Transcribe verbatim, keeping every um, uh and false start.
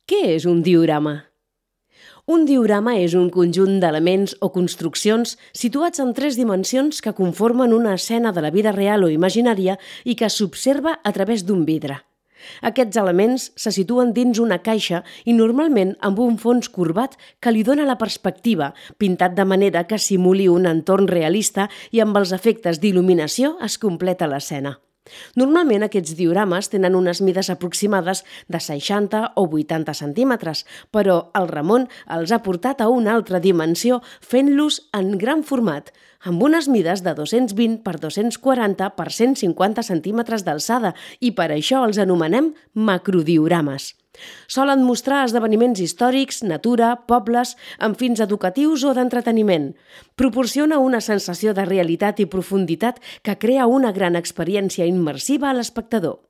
Què és un diorama? Un diorama és un conjunt d'elements o construccions situats en tres dimensions que conformen una escena de la vida real o imaginària i que s'observa a través d'un vidre. Aquests elements se situen dins una caixa i normalment amb un fons corbat que li dona la perspectiva, pintat de manera que simuli un entorn realista i amb els efectes d'il·luminació es completa l'escena. Normalment aquests diorames tenen unes mides aproximades de seixanta o vuitanta centímetres, però el Ramon els ha portat a una altra dimensió fent-los en gran format, amb unes mides de dos-cents vint per dos-cents quaranta per cent cinquanta centímetres d'alçada i per això els anomenem macrodiorames. Solen mostrar esdeveniments històrics, natura, pobles, amb fins educatius o d'entreteniment. Proporciona una sensació de realitat i profunditat que crea una gran experiència immersiva a l'espectador.